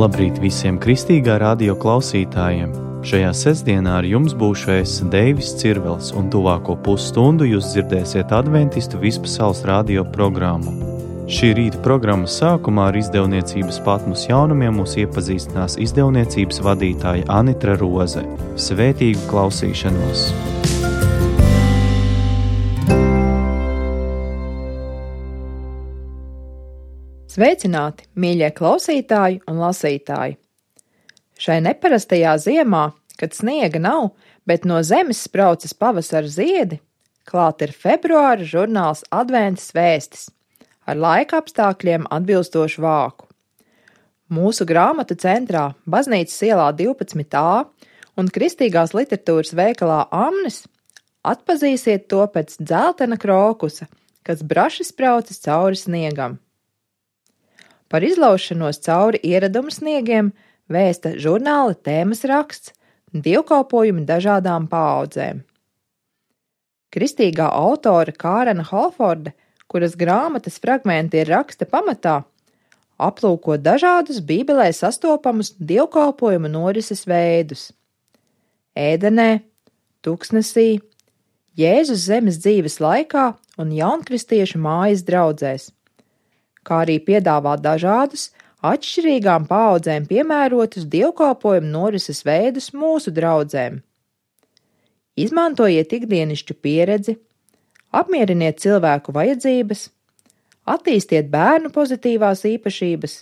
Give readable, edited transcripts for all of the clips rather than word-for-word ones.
Labrīt visiem kristīgā radio klausītājiem! Šajā sestdienā ar jums būšu es, Deivis Cirvels, un tuvāko pusstundu jūs dzirdēsiet adventistu vispasaules radio programmu. Šī rīta programmas sākumā ar izdevniecības Patmos jaunumiem mūs iepazīstinās izdevniecības vadītāja Anitra Roze. Svētīgu klausīšanos! Sveicināti, mīļie klausītāji un lasītāji! Šai neparastajā ziemā, kad sniega nav, bet no zemes spraucas pavasara ziedi, klāt ir februāra žurnāls Adventas vēstis ar laika apstākļiem atbilstošu vāku. Mūsu grāmatu centrā Baznīcas ielā 12a un kristīgās literatūras veikalā Amnes atpazīsiet to pēc dzeltena krokusa, kas braši spraucas cauri sniegam. Par izlaušanos cauri ieradumu sniegiem vēsta žurnāla tēmas raksts Dievkalpojumi dažādām paaudzēm. Kristīgā autora Kārena Holforda, kuras grāmatas fragmenti ir raksta pamatā, aplūko dažādus Bībelē sastopamus dievkalpojumu norises veidus. Ēdenē, tuksnesī, Jēzus zemes dzīves laikā un jaunkristiešu mājas draudzēs, kā arī piedāvā dažādus, atšķirīgām paaudzēm piemērotus dievkalpojumu norises veidus mūsu draudzēm. Izmantojiet ikdienišķu pieredzi, apmieriniet cilvēku vajadzības, attīstiet bērnu pozitīvās īpašības,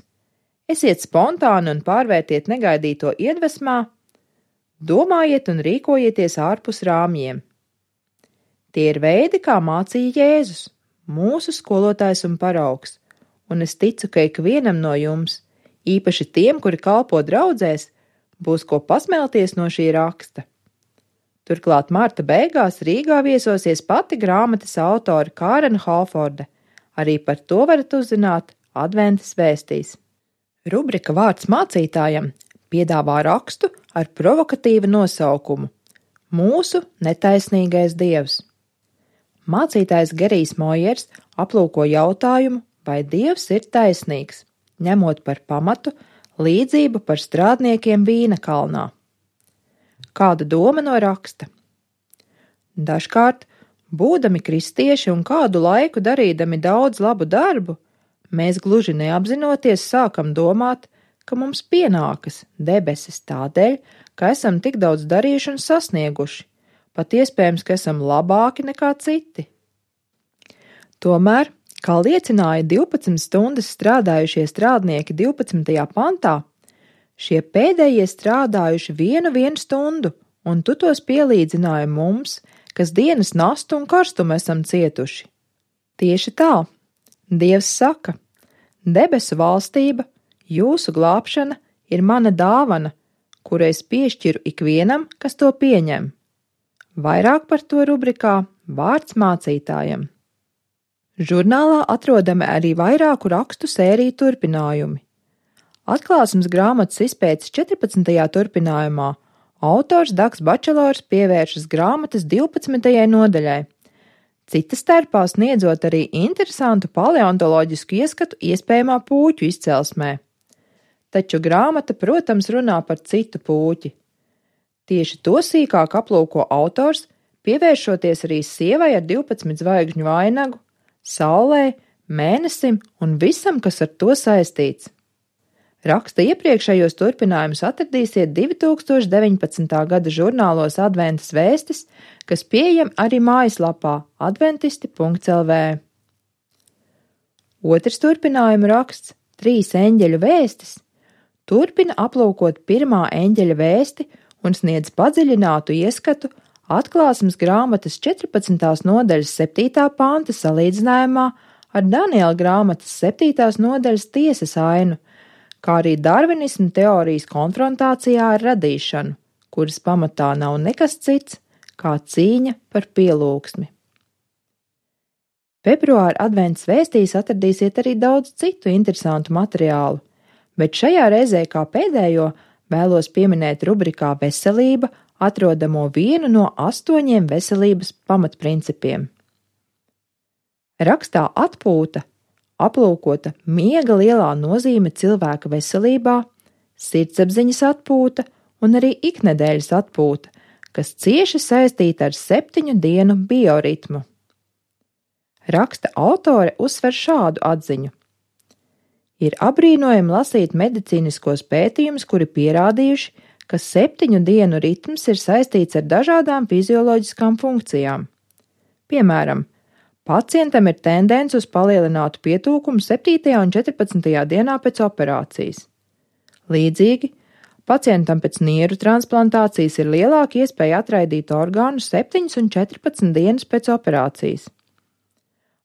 esiet spontāni un pārvērtiet negaidīto iedvesmā, domājiet un rīkojieties ārpus rāmjiem. Tie ir veidi, kā mācīja Jēzus, mūsu skolotājs un paraugs. Un es ticu, ka ikvienam no jums, īpaši tiem, kuri kalpo draudzēs, būs ko pasmelties no šī raksta. Turklāt marta beigās Rīgā viesosies pati grāmatas autora Kārena Holforda. Arī par to varat uzzināt Adventas vēstīs. Rubrika Vārds mācītājam piedāvā rakstu ar provokatīvu nosaukumu Mūsu netaisnīgais dievs. Mācītājs Gerijs Mojers aplūko jautājumu, vai Dievs ir taisnīgs, ņemot par pamatu līdzību par strādniekiem vīna kalnā. Kāda doma no raksta? Dažkārt, būdami kristieši un kādu laiku darīdami daudz labu darbu, mēs gluži neapzinoties sākam domāt, ka mums pienākas debesis tādēļ, ka esam tik daudz darījuši un sasnieguši, pat iespējams, ka esam labāki nekā citi. Tomēr, kā liecināja 12 stundas strādājušie strādnieki 12. pantā, šie pēdējie strādājuši vienu stundu, un tu tos pielīdzināji mums, kas dienas nastu un karstumu esam cietuši. Tieši tā, Dievs saka, debesu valstība, jūsu glābšana ir mana dāvana, kuru es piešķiru ikvienam, kas to pieņem. Vairāk par to rubrikā Vārds mācītājam. Žurnālā atrodami arī vairāku rakstu sēriju turpinājumi. Atklāsmes grāmatas izpētes 14. turpinājumā autors Dags Bačelors pievēršas grāmatas 12. nodaļai, cita starpā sniedzot arī interesantu paleontoloģisku ieskatu iespējamā pūķu izcelsmē. Taču grāmata, protams, runā par citu pūķi. Tieši to sīkāk aplūko autors, pievēršoties arī sievai ar 12 zvaigžņu vainagu, saulē, mēnesim un visam, kas ar to saistīts. Raksta iepriekšējos turpinājumus atradīsiet 2019. gada žurnālos Adventas vēstis, kas pieejam arī mājaslapā adventisti.lv. Otrs turpinājumu raksts, 3 eņģeļu vēstis, turpina aplūkot pirmā eņģeļa vēsti un sniedz padziļinātu ieskatu Atklāsmes grāmatas 14. nodaļas 7. panta salīdzinājumā ar Daniela grāmatas 7. nodaļas tiesas ainu, kā arī darvinismu teorijas konfrontācijā ar radīšanu, kuras pamatā nav nekas cits kā cīņa par pielūgsmi. Februāra adventas vēstīs atradīsiet arī daudz citu interesantu materiālu, bet šajā reizē kā pēdējo vēlos pieminēt rubrikā Veselība atrodamo vienu no 8 veselības pamatprincipiem. Rakstā Atpūta aplūkota miega lielā nozīme cilvēka veselībā, sirdsapziņas atpūta un arī iknedēļas atpūta, kas cieši saistīta ar 7 dienu bioritmu. Raksta autore uzsver šādu atziņu. Ir apbrīnojami lasīt medicīniskos pētījumus, kuri pierādījuši, ka 7 dienu ritms ir saistīts ar dažādām fizioloģiskām funkcijām. Piemēram, pacientam ir tendence uz palielinātu pietūkumu 7. un 14. dienā pēc operācijas. Līdzīgi, pacientam pēc nieru transplantācijas ir lielāka iespēja atraidīt orgānu 7 un 14 dienas pēc operācijas.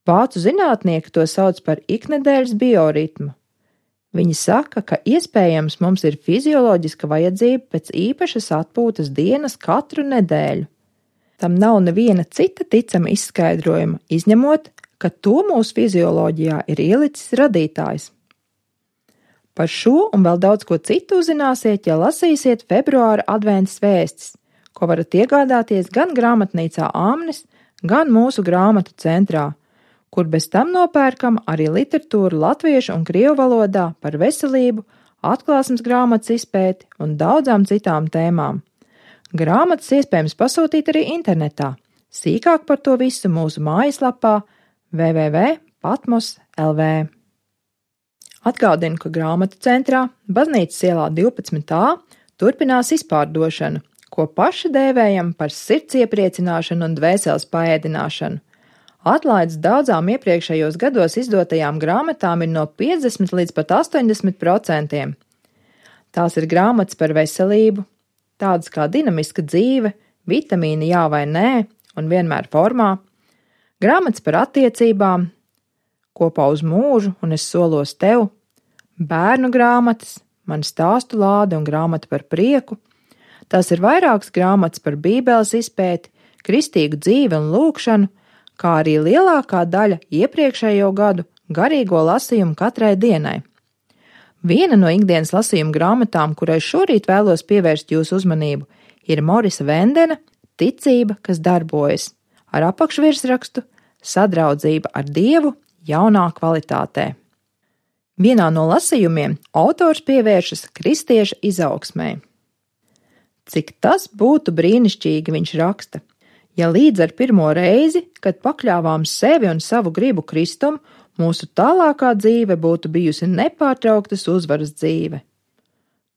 Vācu zinātnieki to sauc par iknedēļas bioritmu. Viņi saka, ka iespējams mums ir fizioloģiska vajadzība pēc īpašas atpūtas dienas katru nedēļu. Tam nav neviena cita ticama izskaidrojuma, izņemot, ka to mūsu fizioloģijā ir ielicis radītājs. Par šo un vēl daudz ko citu uzzināsiet, ja lasīsiet februāra adventas vēstis, ko varat iegādāties gan grāmatnīcā Āmnis, gan mūsu grāmatu centrā, kur bez tam nopērkam arī literatūru latviešu un krievu valodā par veselību, atklāsmes grāmatas izpēti un daudzām citām tēmām. Grāmatas iespējams pasūtīt arī internetā. Sīkāk par to visu mūsu mājaslapā www.patmos.lv. Atgādinu, ka grāmatu centrā Baznīcas ielā 12a turpinās izpārdošana, ko paši dēvējam par sirds iepriecināšanu un dvēseles paēdināšanu. Atlaides daudzām iepriekšējos gados izdotajām grāmatām ir no 50 līdz pat 80%. Tās ir grāmatas par veselību, tādas kā dinamiska dzīve, vitamīni jā vai nē un vienmēr formā, grāmatas par attiecībām, kopā uz mūžu un es solos tev, bērnu grāmatas, man stāstu lāde un grāmata par prieku. Tās ir vairākas grāmatas par bībeles izpēti, kristīgu dzīvi un lūgšanu, kā arī lielākā daļa iepriekšējo gadu garīgo lasījumu katrai dienai. Viena no ikdienas lasījuma grāmatām, kurai šorīt vēlos pievērst jūsu uzmanību, ir Morisa Vendena Ticība, kas darbojas, ar apakšvirsrakstu Sadraudzība ar Dievu jaunā kvalitātē. Vienā no lasījumiem autors pievēršas kristieša izaugsmei. Cik tas būtu brīnišķīgi, viņš raksta. Ja līdz ar pirmo reizi, kad pakļāvām sevi un savu gribu Kristum, mūsu tālākā dzīve būtu bijusi nepārtrauktas uzvaras dzīve.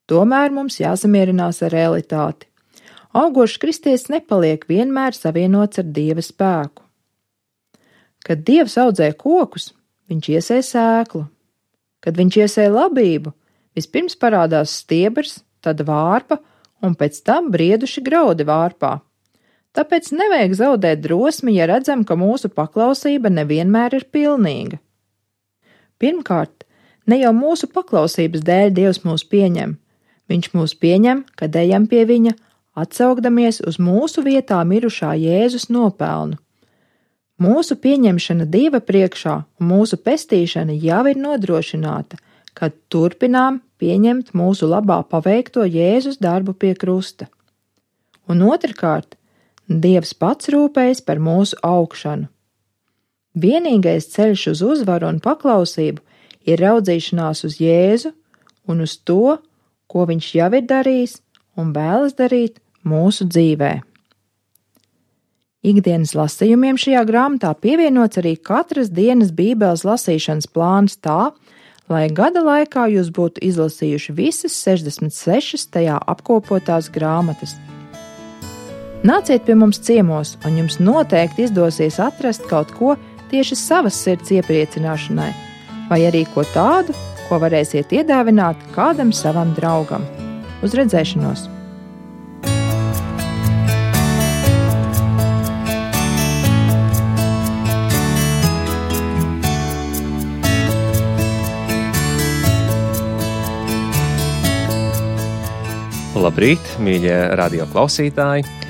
Tomēr mums jāsamierinās ar realitāti. Augošs kristietis nepaliek vienmēr savienots ar Dieva spēku. Kad Dievs audzē kokus, viņš iesēj sēklu. Kad viņš iesēj labību, vispirms parādās stiebrs, tad vārpa un pēc tam brieduši graudi vārpā. Tāpēc nevajag zaudēt drosmi, ja redzam, ka mūsu paklausība nevienmēr ir pilnīga. Pirmkārt, ne jau mūsu paklausības dēļ Dievs mūs pieņem. Viņš mūs pieņem, kad ejam pie viņa, atsaugdamies uz mūsu vietā mirušā Jēzus nopelnu. Mūsu pieņemšana Dieva priekšā un mūsu pestīšana jau ir nodrošināta, kad turpinām pieņemt mūsu labā paveikto Jēzus darbu pie krusta. Un otrkārt, Dievs pats rūpējas par mūsu augšanu. Vienīgais ceļš uz uzvaru un paklausību ir raudzīšanās uz Jēzu un uz to, ko viņš jau ir darījis un vēlas darīt mūsu dzīvē. Ikdienas lasījumiem šajā grāmatā pievienots arī katras dienas bībeles lasīšanas plāns tā, lai gada laikā jūs būtu izlasījuši visas 66 tajā apkopotās grāmatas. Nāciet pie mums ciemos, un jums noteikti izdosies atrast kaut ko tieši savas sirds iepriecināšanai, vai arī ko tādu, ko varēsiet iedāvināt kādam savam draugam. Uz redzēšanos! Labrīt, mīļie radio klausītāji!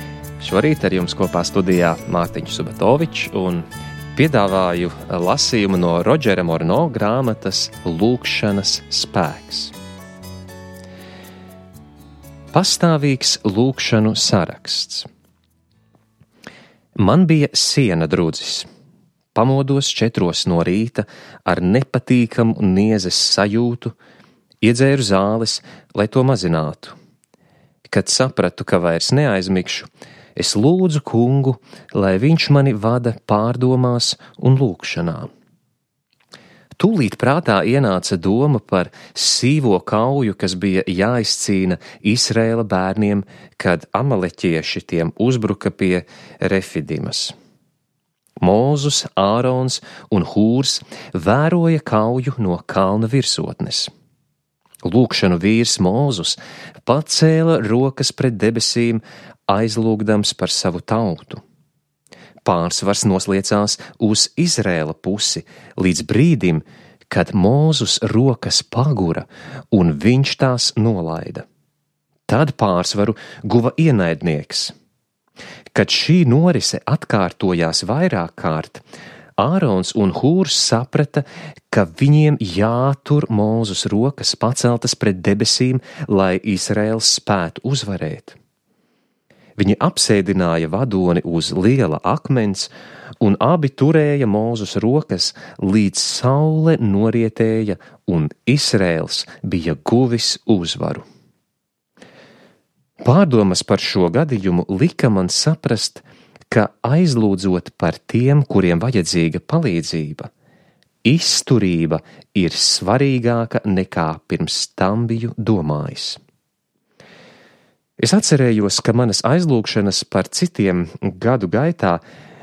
Šorīt ar jums kopā studijā Mārtiņš Subatovičs un piedāvāju lasījumu no Rodžera Morno grāmatas Lūgšanas spēks. Pastāvīgs lūgšanu saraksts. Man bija siena drudzis. Pamodos 4 no rīta ar nepatīkamu niezes sajūtu, Iedzēru zāles, lai to mazinātu. Kad sapratu, ka vairs neaizmigšu, es lūdzu Kungu, lai viņš mani vada pārdomās un lūgšanā. Tūlīt prātā ienāca doma par sīvo kauju, kas bija jāizcīna Izraēla bērniem, kad amaleķieši tiem uzbruka pie Refidimas. Mūzus, Ārons un Hūrs vēroja kauju no kalna virsotnes. Lūgšanu vīrs Mūzus pacēla rokas pret debesīm, aizlūgdams par savu tautu. Pārsvars nosliecās uz Izraēla pusi līdz brīdim, kad Mūzus rokas pagura un viņš tās nolaida. Tad pārsvaru guva ienaidnieks. Kad šī norise atkārtojās vairāk kārt, Ārons un Hūrs saprata, ka viņiem jātur Mūzus rokas paceltas pret debesīm, lai Izraēls spētu uzvarēt. Viņi apsēdināja vadoni uz liela akmens, un abi turēja Mūzus rokas, līdz saule norietēja, un Izraēls bija guvis uzvaru. Pārdomas par šo gadījumu lika man saprast, ka aizlūdzot par tiem, kuriem vajadzīga palīdzība, izturība ir svarīgāka nekā pirms tam biju domājis. Es atcerējos, ka manas aizlūgšanas par citiem gadu gaitā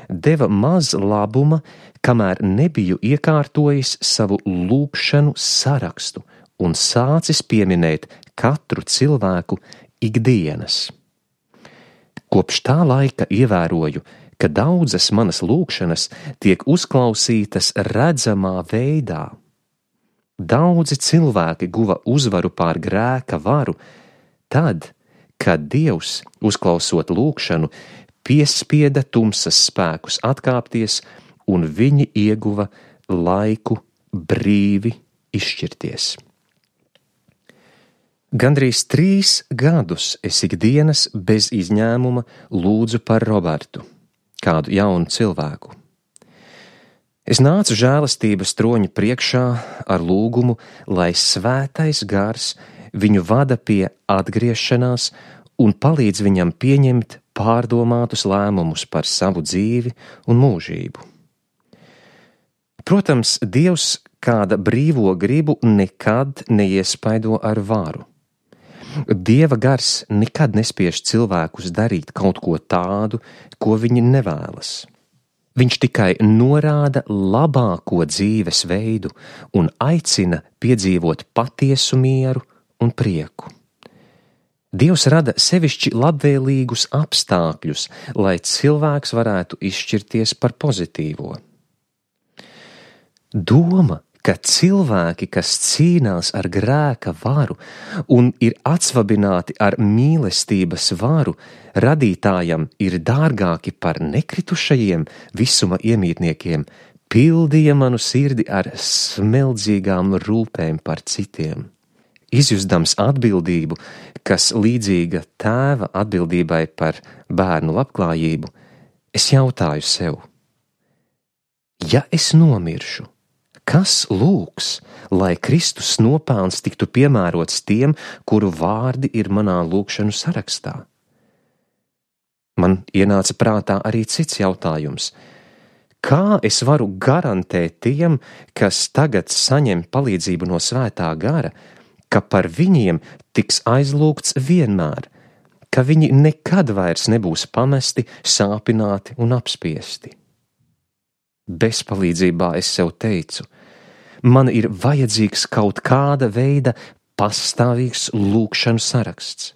deva maz labuma, kamēr nebiju iekārtojis savu lūgšanu sarakstu un sācis pieminēt katru cilvēku ikdienas. Kopš tā laika ievēroju, ka daudzas manas lūgšanas tiek uzklausītas redzamā veidā. Daudzi cilvēki guva uzvaru pār grēka varu tad, kad Dievs, uzklausot lūgšanu, piespieda tumsas spēkus atkāpties, un viņi ieguva laiku brīvi izšķirties. Gandrīz 3 gadus es ikdienas bez izņēmuma lūdzu par Robertu, kādu jaunu cilvēku. Es nācu žēlastības troņa priekšā ar lūgumu, lai svētais gars viņu vada pie atgriešanās un palīdz viņam pieņemt pārdomātus lēmumus par savu dzīvi un mūžību. Protams, Dievs kāda brīvo gribu nekad neiespaido ar varu. Dieva gars nekad nespiež cilvēkus darīt kaut ko tādu, ko viņi nevēlas. Viņš tikai norāda labāko dzīves veidu un aicina piedzīvot patiesu mieru un prieku. Dievs rada sevišķi labvēlīgus apstākļus, lai cilvēks varētu izšķirties par pozitīvo. Doma, ka cilvēki, kas cīnās ar grēka varu un ir atsvabināti ar mīlestības varu, radītājam ir dārgāki par nekritušajiem visuma iemītniekiem, pildīja manu sirdi ar smeldzīgām rūpēm par citiem. Izjustams atbildību, kas līdzīga tēva atbildībai par bērnu labklājību, es jautāju sev: ja es nomiršu, kas lūgs, lai Kristus nopelns tiktu piemērots tiem, kuru vārdi ir manā lūgšanu sarakstā? Man ienāca prātā arī cits jautājums: kā es varu garantēt tiem, kas tagad saņem palīdzību no svētā gara, ka par viņiem tiks aizlūgts vienmēr, ka viņi nekad vairs nebūs pamesti, sāpināti un apspiesti? Bezpalīdzībā es sev teicu: man ir vajadzīgs kaut kāda veida pastāvīgs lūgšanu saraksts.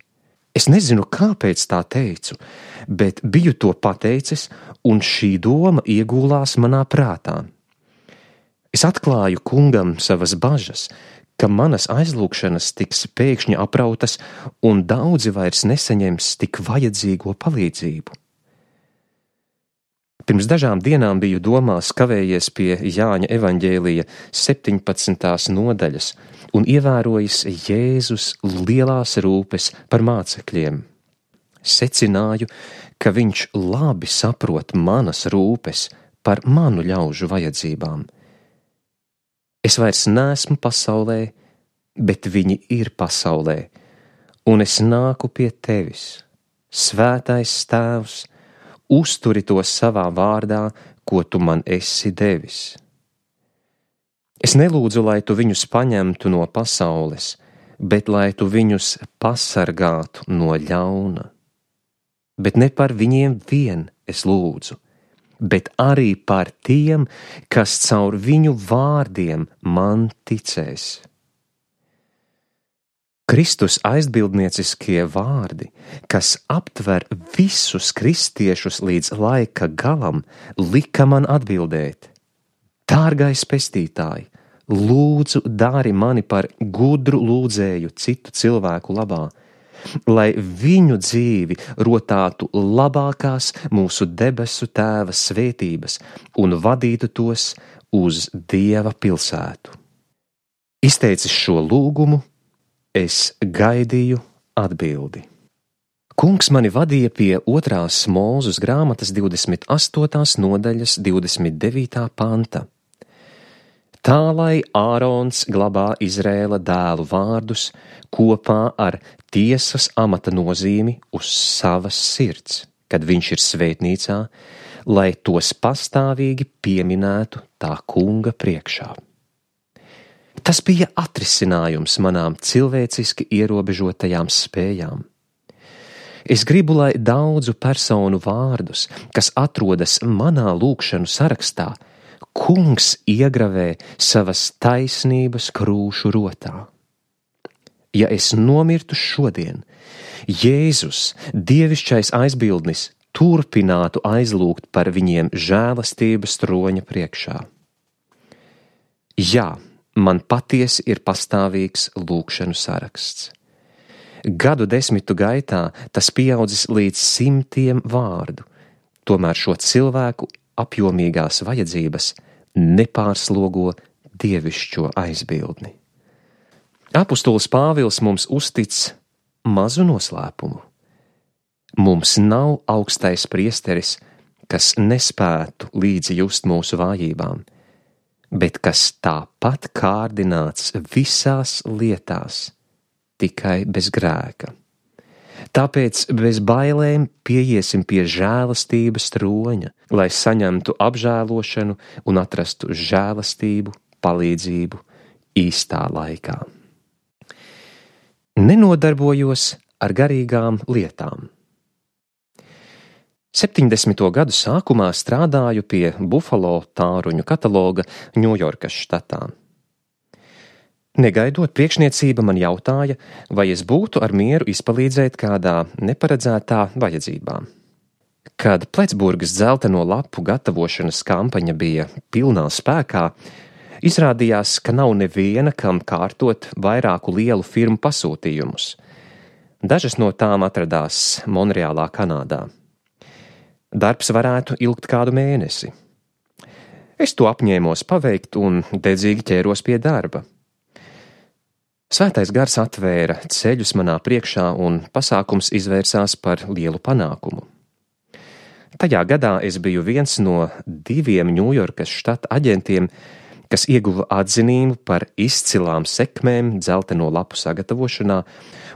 Es nezinu, kāpēc tā teicu, bet biju to pateicis, un šī doma iegūlās manā prātā. Es atklāju Kungam savas bažas, ka manas aizlūgšanas tiks pēkšņi aprautas, un daudzi vairs nesaņems tik vajadzīgo palīdzību. Pirms dažām dienām biju domās kavējies pie Jāņa evaņģēlija 17. nodaļas un ievērojis Jēzus lielās rūpes par mācekļiem. Secināju, ka viņš labi saprot manas rūpes par manu ļaužu vajadzībām. Es vairs neesmu pasaulē, bet viņi ir pasaulē, un es nāku pie tevis. Svētais Tēvs, uzturi tos savā vārdā, ko tu man esi devis. Es nelūdzu, lai tu viņus paņemtu no pasaules, bet lai tu viņus pasargātu no ļauna. Bet ne par viņiem vien es lūdzu, bet arī par tiem, kas caur viņu vārdiem man ticēs. Kristus aizbildnieciskie vārdi, kas aptver visus kristiešus līdz laika galam, lika man atbildēt: Dārgais pestītāj, lūdzu dari mani par gudru lūdzēju citu cilvēku labā, lai viņu dzīvi rotātu labākās mūsu debesu Tēva svētības un vadītu tos uz Dieva pilsētu. Izteicis šo lūgumu, es gaidīju atbildi. Kungs mani vadīja pie 2. Mūzes grāmatas 28. nodaļas 29. panta. Tā lai Ārons glabā Izrēla dēlu vārdus kopā ar tiesas amata nozīmi uz savas sirds, kad viņš ir svētnīcā, lai tos pastāvīgi pieminētu tā kunga priekšā. Tas bija atrisinājums manām cilvēciski ierobežotajām spējām. Es gribu, lai daudzu personu vārdus, kas atrodas manā lūgšanu sarakstā, Kungs iegravē savas taisnības krūšu rotā. Ja es nomirtu šodien, Jēzus, dievišķais aizbildnis, turpinātu aizlūgt par viņiem žēlastības troņa priekšā. Jā, man patiesi ir pastāvīgs lūgšanu saraksts. Gadu desmitu gaitā tas pieaudzis līdz 100 vārdu, tomēr šo cilvēku apjomīgās vajadzības nepārslogo dievišķo aizbildni. Apostols Pāvils mums uztic mazu noslēpumu. Mums nav augstais priesteris, kas nespētu līdzi just mūsu vājībām, bet kas tāpat kārdināts visās lietās, tikai bez grēka. Tāpēc bez bailēm pieiesim pie žēlastības troņa, lai saņemtu apžēlošanu un atrastu žēlastību, palīdzību īstā laikā. Nenodarbojos ar garīgām lietām. 70. gadu sākumā strādāju pie Buffalo tāruņu kataloga Ņujorkas štatā. Negaidot, priekšniecība man jautāja, vai es būtu ar mieru izpalīdzēt kādā neparedzētā vajadzībā. Kad Pletsburgas dzelteno lapu gatavošanas kampaņa bija pilnā spēkā, izrādījās, ka nav neviena, kam kārtot vairāku lielu firmu pasūtījumus. Dažas no tām atradās Monreālā, Kanādā. Darbs varētu ilgt kādu mēnesi. Es to apņēmos paveikt un dedzīgi ķēros pie darba. Svētais gars atvēra ceļus manā priekšā un pasākums izvērsās par lielu panākumu. Tajā gadā es biju viens no 2 Ņujorkas štata aģentiem, kas ieguva atzinību par izcilām sekmēm dzelteno lapu sagatavošanā,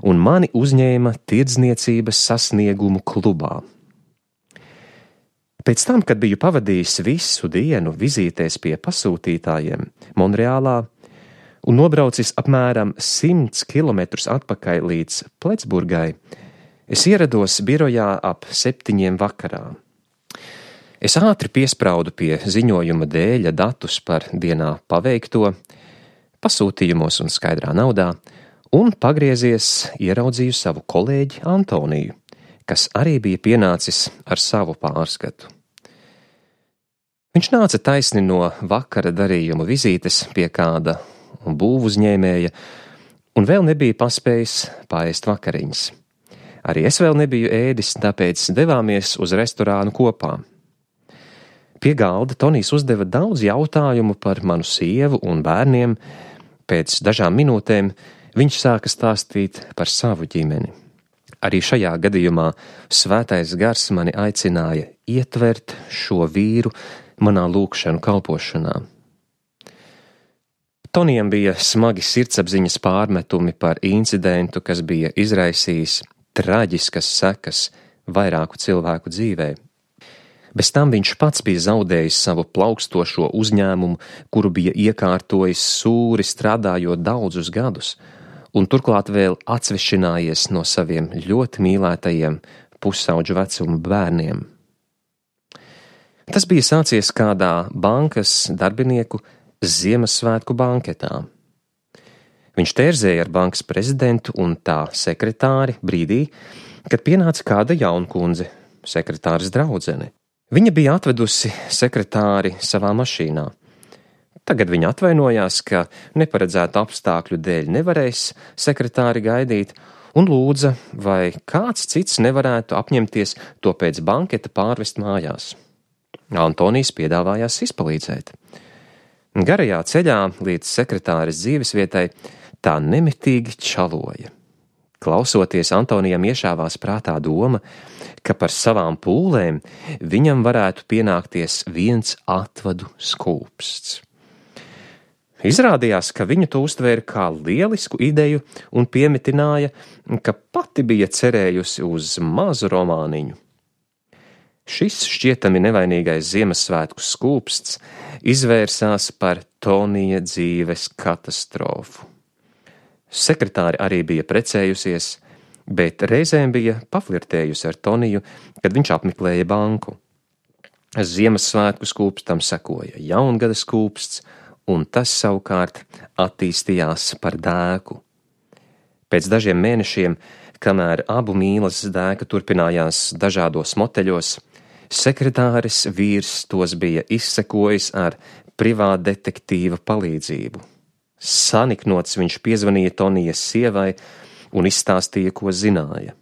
un mani uzņēma tirdzniecības sasniegumu klubā. Pēc tam, kad biju pavadījis visu dienu vizītēs pie pasūtītājiem Monreālā un nobraucis apmēram 100 kilometrus atpakaļ līdz Pletsburgai, es ierados birojā ap 7 vakarā. Es ātri piespraudu pie ziņojuma dēļa datus par dienā paveikto, pasūtījumos un skaidrā naudā, un pagriezies ieraudzīju savu kolēģi Antoniju, kas arī bija pienācis ar savu pārskatu. Viņš nāca taisni no vakara darījuma vizītes pie kāda būvu uzņēmēja, un vēl nebija paspējis paēst vakariņas. Arī es vēl nebiju ēdis, tāpēc devāmies uz restorānu kopā. Pie galda Tonijs uzdeva daudz jautājumu par manu sievu un bērniem. Pēc dažām minūtēm viņš sāka stāstīt par savu ģimeni. Arī šajā gadījumā svētais gars mani aicināja ietvert šo vīru manā lūgšanu kalpošanā. Tonijam bija smagi sirdsapziņas pārmetumi par incidentu, kas bija izraisījis traģiskas sekas vairāku cilvēku dzīvē. Bez tam viņš pats bija zaudējis savu plaukstošo uzņēmumu, kuru bija iekārtojis sūri strādājot daudzus gadus, un turklāt vēl atsvešinājies no saviem ļoti mīlētajiem pusauģu vecuma bērniem. Tas bija sācies kādā bankas darbinieku Ziemassvētku banketā. Viņš tērzēja ar bankas prezidentu un tā sekretāri brīdī, kad pienāca kāda jaunkundze, sekretāres draudzene. Viņa bija atvedusi sekretāri savā mašīnā. Tagad viņa atvainojās, ka neparedzētu apstākļu dēļ nevarēs sekretāri gaidīt, un lūdza, vai kāds cits nevarētu apņemties to pēc banketa pārvest mājās. Antonijs piedāvājās izpalīdzēt. Garajā ceļā līdz sekretāres dzīvesvietai tā nemitīgi čaloja. Klausoties, Antonijam iešāvās prātā doma, ka par savām pūlēm viņam varētu pienākties viens atvadu skūpsts. Izrādījās, ka viņa to uztvēra kā lielisku ideju un piemitināja, ka pati bija cerējusi uz mazu romāniņu. Šis šķietami nevainīgais Ziemassvētku skūpsts izvērsās par Tonija dzīves katastrofu. Sekretāri arī bija precējusies, bet reizēm bija paflirtējusi ar Toniju, kad viņš apmeklēja banku. Ziemassvētku skūpstam sekoja jaungada skūpsts, un tas savukārt attīstījās par dēku. Pēc dažiem mēnešiem, kamēr abu mīlas dēka turpinājās dažādos moteļos, sekretāres vīrs tos bija izsekojis ar privātdetektīva palīdzību. Saniknots viņš piezvanīja Tonijas sievai un izstāstīja, ko zināja.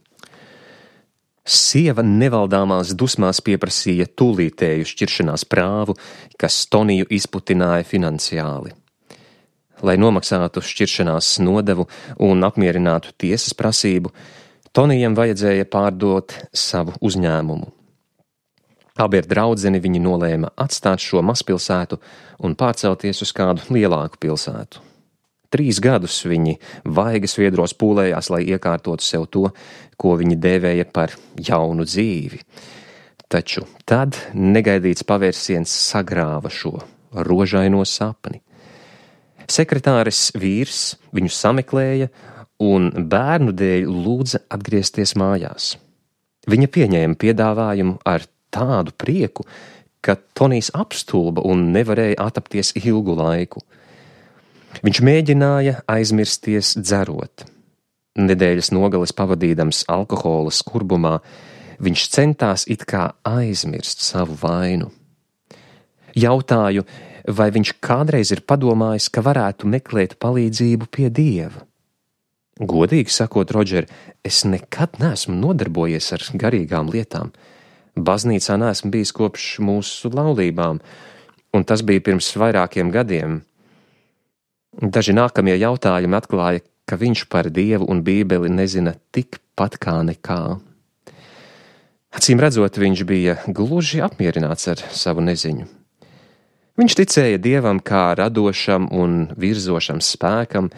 Sieva nevaldāmās dusmās pieprasīja tūlītēju šķiršanās prāvu, kas Toniju izputināja finansiāli. Lai nomaksātu šķiršanās nodevu un apmierinātu tiesas prasību, Tonijam vajadzēja pārdot savu uzņēmumu. Abi ar draudzeni viņi nolēma atstāt šo mazpilsētu un pārcelties uz kādu lielāku pilsētu. 3 gadus viņi vaigas viedros pūlējās, lai iekārtotu sev to, ko viņi dēvēja par jaunu dzīvi. Taču tad negaidīts pavērsiens sagrāva šo rožaino sapni. Sekretāres vīrs viņu sameklēja un bērnu dēļ lūdza atgriezties mājās. Viņa pieņēma piedāvājumu ar tādu prieku, ka Tonijs apstulba un nevarēja atapties ilgu laiku. Viņš mēģināja aizmirsties dzerot. Nedēļas nogales pavadīdams alkohola skurbumā, viņš centās it kā aizmirst savu vainu. Jautāju, vai viņš kādreiz ir padomājis, ka varētu meklēt palīdzību pie Dieva. Godīgi sakot, Rodžer, es nekad neesmu nodarbojies ar garīgām lietām. Baznīcā neesmu bijis kopš mūsu laulībām, un tas bija pirms vairākiem gadiem. Daži nākamie jautājumi atklāja, ka viņš par Dievu un Bībeli nezina tikpat kā nekā. Acīm redzot, viņš bija gluži apmierināts ar savu neziņu. Viņš ticēja Dievam kā radošam un virzošam spēkam,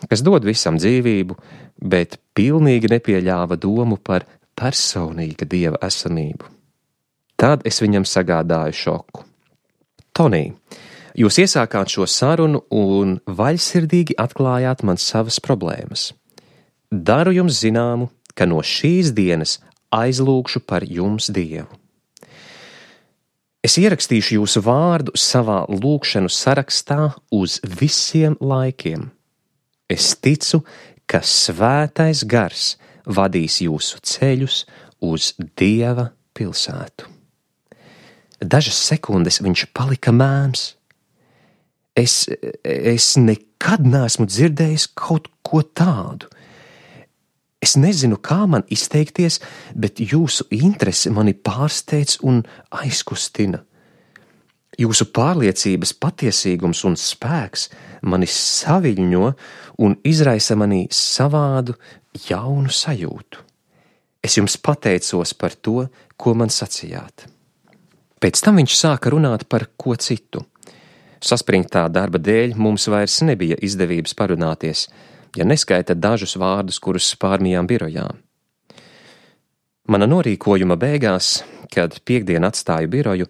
kas dod visam dzīvību, bet pilnīgi nepieļāva domu par personīga Dieva esamību. Tad es viņam sagādāju šoku. Tonij, jūs iesākāt šo sarunu un vaļsirdīgi atklājāt man savas problēmas. Daru jums zināmu, ka no šīs dienas aizlūgšu par jums Dievu. Es ierakstīšu jūsu vārdu savā lūgšanu sarakstā uz visiem laikiem. Es ticu, ka svētais gars vadīs jūsu ceļus uz Dieva pilsētu. Dažas sekundes viņš palika mēms. Es nekad neesmu dzirdējis kaut ko tādu. Es nezinu, kā man izteikties, bet jūsu interese mani pārsteidz un aizkustina. Jūsu pārliecības patiesīgums un spēks mani saviļņo un izraisa manī savādu, jaunu sajūtu. Es jums pateicos par to, ko man sacījāt. Pēc tam viņš sāka runāt par ko citu. Saspringtā darba dēļ mums vairs nebija izdevības parunāties, ja neskaita dažus vārdus, kurus pārmījām birojā. Mana norīkojuma beigās, kad piektdien atstāju biroju,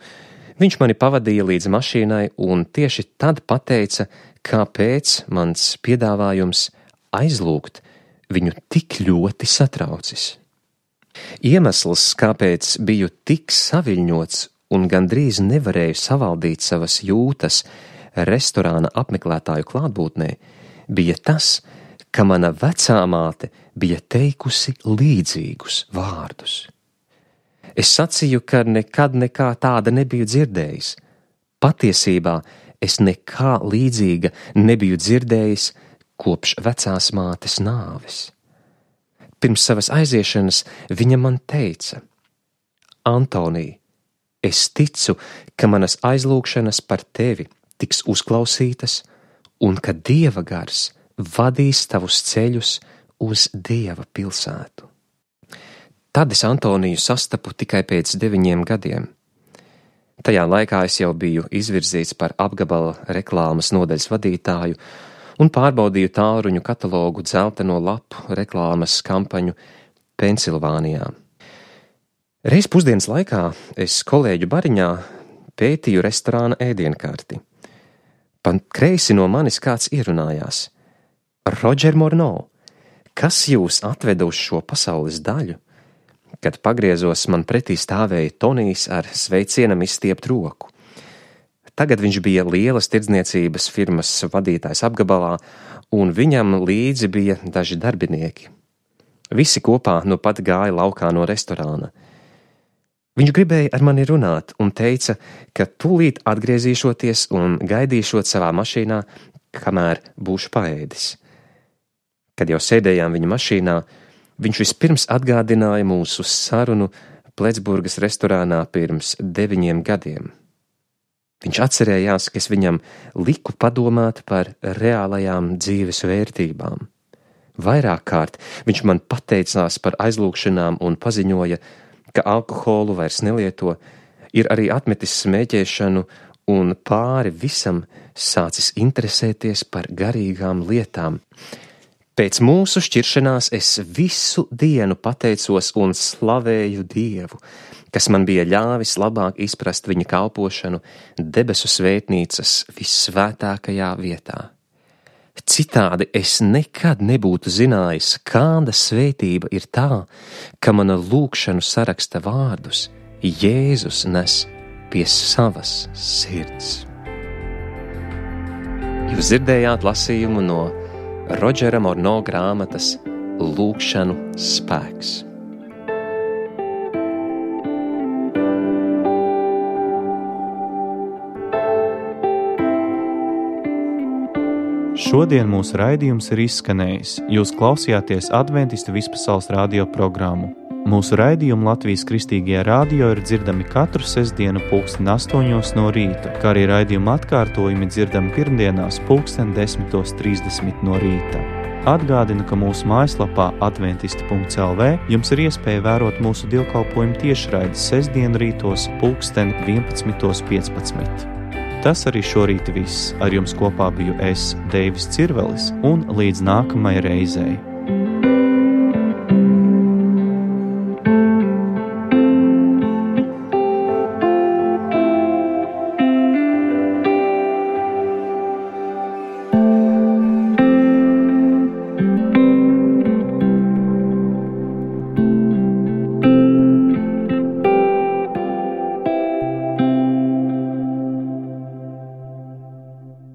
viņš mani pavadīja līdz mašīnai un tieši tad pateica, kāpēc mans piedāvājums aizlūgt viņu tik ļoti satraucis. Iemesls, kāpēc biju tik saviļņots un gandrīz nevarēju savaldīt savas jūtas restorāna apmeklētāju klātbūtnē, bija tas, ka mana vecā māte bija teikusi līdzīgus vārdus. Es sacīju, ka nekad nekā tāda nebiju dzirdējis. Patiesībā es nekā līdzīga nebiju dzirdējis kopš vecās mātes nāves. Pirms savas aiziešanas viņa man teica: Antonij, es ticu, ka manas aizlūgšanas par tevi tiks uzklausītas un ka Dieva gars vadīs tavus ceļus uz Dieva pilsētu. Tad es Antoniju sastapu tikai pēc 9 gadiem. Tajā laikā es jau biju izvirzīts par apgabala reklāmas nodaļas vadītāju un pārbaudīju tālruņu katalogu dzelteno lapu reklāmas kampaņu Pensilvānijā. Reiz pusdienas laikā es kolēģu bariņā pētīju restorāna ēdienkarti. Pa kreisi no manis kāds ierunājās: Roger Morneau, kas jūs atveda uz šo pasaules daļu? Kad pagriezos, man pretī stāvēja Tonijs ar sveicienam izstiept roku. Tagad viņš bija lielas tirdzniecības firmas vadītājs apgabalā, un viņam līdzi bija daži darbinieki. Visi kopā nu pat gāja laukā no restorāna. Viņš gribēja ar mani runāt un teica, ka tūlīt atgriezīšoties un gaidīšot savā mašīnā, kamēr būšu paēdis. Kad jau sēdējām viņa mašīnā, viņš vispirms atgādināja mūsu sarunu Pletsburgas restorānā pirms 9 gadiem. Viņš atcerējās, ka es viņam liku padomāt par reālajām dzīves vērtībām. Vairāk kārt viņš man pateicās par aizlūgšanām un paziņoja, ka alkoholu vairs nelieto, ir arī atmetis smēķēšanu un pāri visam sācis interesēties par garīgām lietām. Pēc mūsu šķiršanās es visu dienu pateicos un slavēju Dievu, kas man bija ļāvis labāk izprast viņa kalpošanu debesu svētnīcas vissvētākajā vietā. Citādi es nekad nebūtu zinājis, kāda svētība ir tā, ka mana lūgšanu saraksta vārdus Jēzus nes pie savas sirds. Jūs dzirdējāt lasījumu no Rodžera Morneau grāmatas Lūgšanu spēks. Šodien mūsu raidījums ir izskanējis. Jūs klausījāties Adventistu vispasaules radio programmu. Mūsu raidījumi Latvijas Kristīgajā radio ir dzirdami katru sestdienu 8:00 no rīta, kā arī raidījuma atkārtojumi dzirdami pirmdienās 10:30 no rīta. Atgādinu, ka mūsu mājaslapā adventisti.lv jums ir iespēja vērot mūsu dievkalpojumu tiešraides sestdienu rītos 11:15. Tas arī šorīt viss. Ar jums kopā biju es, Deivis Cirvelis, un līdz nākamajai reizei.